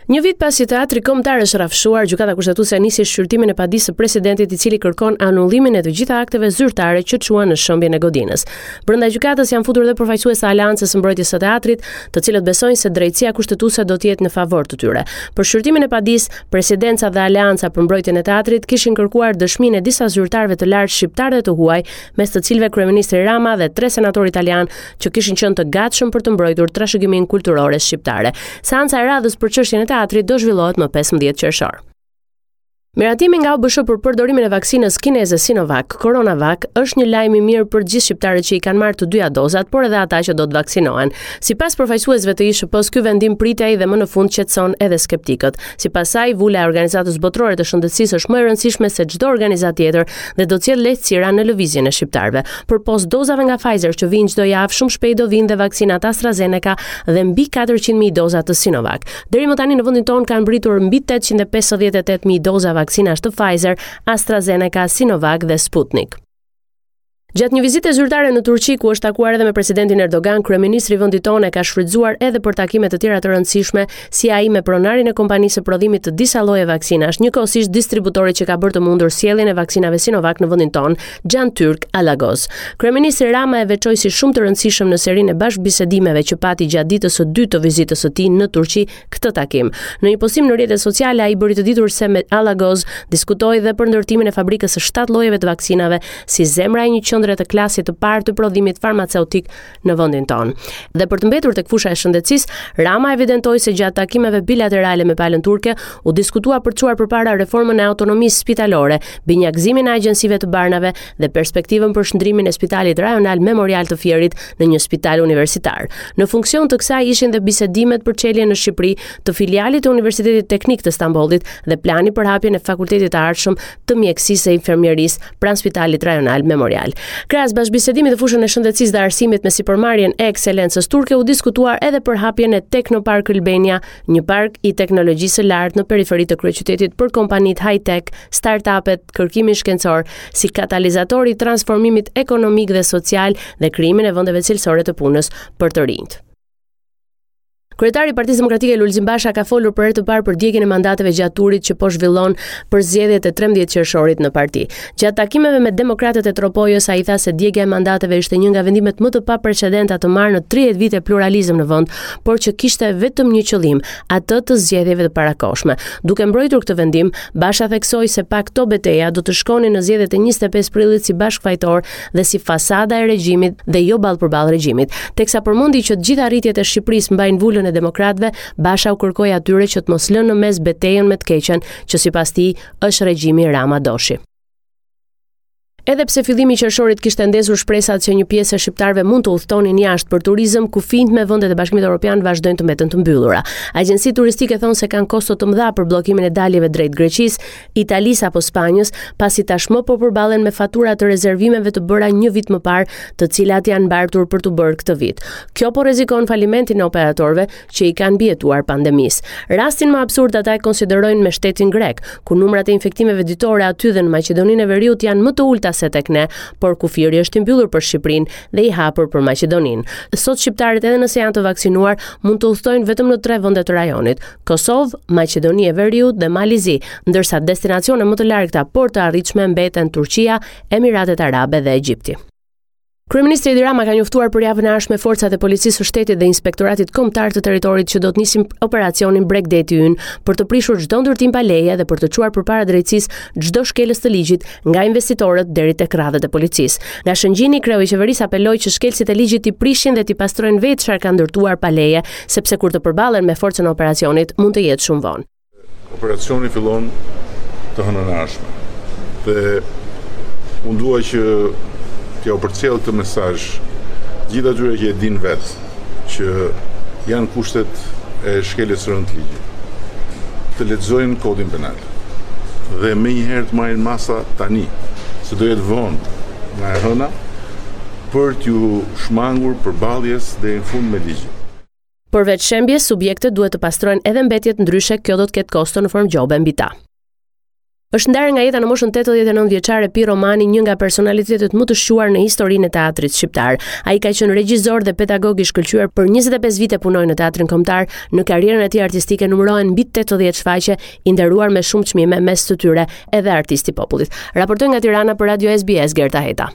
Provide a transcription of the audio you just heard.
Një vit pasi Teatri Kombëtar është rrafshuar, Gjykata Kushtetuese nisi shqyrtimin e padisë së presidentit i cili kërkon anullimin e të gjitha akteve zyrtare që çuan në shembjen e godinës. Brenda gjykatës janë futur dhe përfaqësues të Aleancës së Mbrojtjes së Teatrit, të cilët besojnë se drejtësia kushtetuese do të jetë në favor të tyre. Për shqyrtimin e padisë, Presidenca dhe Aleanca për Mbrojtjen e Teatrit kishin kërkuar dëshminë e disa zyrtarëve të lartë shqiptarë dhe të huaj, mes të cilëve kryeministri Rama dhe tre senatorë italianë që kishin qenë të gatshëm për të mbrojtur trashëgiminë kulturore shqiptare. Seanca e radhës për çështjen e teatrit do zhvillohet më 15 qershor. Miratimi nga OBSH për përdorimin e vaksinës kineze Sinovac, CoronaVac, është një lajm i mirë për gjithë shqiptarët që i kanë marrë të dyja dozat, por edhe ata që do të vaksinohen. Sipas përfaqësuesve të ISHP-së, ky vendim pritej dhe më në fund qetëson edhe skeptikët. Sipas saj, vula e Organizatës Botërore të Shëndetësisë është më e rëndësishme se çdo organizatë tjetër dhe do të sjellë lehtësira në lëvizjen e shqiptarëve. Përpos dozave nga Pfizer që vijnë çdo javë, shumë shpejt do vijnë dhe vaksinat AstraZeneca dhe mbi 400.000 doza të Sinovac. Deri më tani në vendin tonë kanë mbërritur mbi 858.000 doza vaksinash të Pfizer, AstraZeneca, Sinovac dhe Sputnik. Gjatë një vizite zyrtare në Turqi, ku është takuar edhe me presidentin Erdogan, kryeministri i vendit tonë e ka shfrytëzuar edhe për takime të tjera të rëndësishme, si ai me pronarin e kompanisë së prodhimit të disa lloje vaksinash, njëkohësisht distributorit që ka bërë të mundur sjelljen e vaksinave Sinovac në vendin tonë, Xhantyrk Alagoz. Kryeministri Rama e veçoi si shumë të rëndësishëm në serinë e bashkëbisedimeve që pati gjatë ditës së dytë të vizitës së tij në Turqi këtë takim. Në një postim në rrjetet sociale ai bëri të ditur se me Alagoz diskutoi dhe për ndërtimin e fabrikës së 7 llojeve të vaksinave si zemra e një qendre të klasit të parë të prodhimit farmaceutik në vendin tonë. Dhe për të mbetur tek fusha e shëndetësisë, Rama evidentoi se gjatë takimeve bilaterale me palën turke u diskutua për të çuar përpara reformën e autonomisë spitalore, binjakëzimin e agjencive të barnave dhe perspektivën për shndërrimin e spitalit rajonal memorial të Fierit në një spital universitar. Në funksion të kësaj ishin dhe bisedimet për çeljen në Shqipëri të filialit të Universitetit Teknik të Stambollit dhe plani për hapjen e Fakultetit të ardhshëm të Mjekësisë e Infermierisë pranë Spitalit Rajonal Memorial. Krahas bashkëbisedimit në fushën e shëndetësisë dhe arsimit me sipërmarrjen e ekselencës turke u diskutua edhe për hapjen e Teknopark Albania, një park i teknologjisë së lartë në periferi të kryeqytetit për kompanitë high-tech, startup-et, kërkimin shkencor, si katalizator i transformimit ekonomik dhe social dhe krijimin e vendeve cilësore të punës për të rinjtë. Kryetari i Partisë Demokratike Lulzim Basha ka folur për herë të parë për djegien e mandateve gjatë turit që po zhvillon për zgjedhjet e 13 qershorit në parti. Gjatë takimeve me demokratët e Tropojës, ai tha se djegia e mandateve ishte një nga vendimet më të paprecedenta të marrë në 30 vite pluralizëm në vend, por që kishte vetëm një qëllim, atë të zgjedhjeve të parakohshme. Duke mbrojtur këtë vendim, Basha theksoi se pa këto beteja do të shkonin në zgjedhjet e 25 prillit si bashkëfajtorë dhe si fasada e regjimit dhe jo ballë për ballë regjimit. Teksa përmendi që të gjitha arritjet e Shqipërisë mbajnë vulën e demokratëve, Basha u kërkoi atyre që të mos lënë në mes betejën me të keqen, që sipas tij është regjimi Rama-Doshi. Edhe pse fillimi i qershorit kishte ndezur shpresat që një pjesë e shqiptarëve mund të udhëtonin jashtë për turizëm, kufinjtë me vendet e Bashkimit Evropian vazhdojnë të mbeten të mbyllura. Agjencitë turistike thonë se kanë kosto të mëdha për bllokimin e daljeve drejt Greqisë, Italisë apo Spanjës, pasi tashmë po përballen me fatura të rezervimeve të bëra një vit më parë, të cilat janë mbartur për t'u bërë këtë vit. Kjo po rrezikon falimentin e operatorëve që i kanë mbijetuar pandemisë. Rastin më absurd ata e konsiderojnë me shtetin grek, ku numrat e infektimeve ditore aty dhe në Maqedoninë e Veriut janë më të ulëta se tek ne, por kufiri është i mbyllur për Shqipërinë dhe i hapur për Maqedoninë. Sot shqiptarët edhe nëse janë të vaksinuar, mund të udhëtojnë vetëm në tre vende të rajonit: Kosovë, Maqedoni e Veriut dhe Mal i Zi, ndërsa destinacione më të largëta por të arritshme mbeten Turqia, Emiratet Arabe dhe Egjipti. Kryeministri Edi Rama ka njoftuar për javën e ardhshme forcat e Policisë së Shtetit dhe Inspektoratit Kombëtar të Territorit që do të nisin operacionin Bregdeti ynë për të prishur çdo ndërtim pa leje dhe për të çuar përpara drejtësisë çdo shkelës të ligjit, nga investitorët deri tek radhët e policisë. Nga Shëngjini, kreu i qeverisë apeloi që shkelësit e ligjit t'i prishin dhe t'i pastrojnë vetë çfarë kanë ndërtuar pa leje, sepse kur të përballen me forcën e operacionit, mund të jetë shumë vonë. Operacioni fillon të hënën e ardhshme. Dhe unë dua që t'jua përcjell këtë mesazh gjithë atyre që e dinë vetë që janë kushtet e shkeljes së rëndë të ligjit. Të lexojnë kodin penal dhe menjëherë të marrin masa tani, se do jetë vonë nga e hëna për t'iu shmangur përballjes deri në fund me ligjin. Përveç shembjes, subjektet duhet të pastrojnë edhe mbetjet ndryshe kjo do të ketë kosto në formë gjobe mbi ta. Është ndarë nga jeta në moshën 89 vjeçare Pirro Mani, një nga personalitetet më të shquar në historinë e teatrit shqiptar. Ai ka qenë regjizor dhe pedagog i shkëlqyer për 25 vite punoi në Teatrin Kombëtar. Në karrierën e tij artistike numërohen mbi 80 shfaqje, i nderuar me shumë çmime mes të tyre edhe Artist i Popullit. Raportoi nga Tirana për Radio SBS Gerta Heta.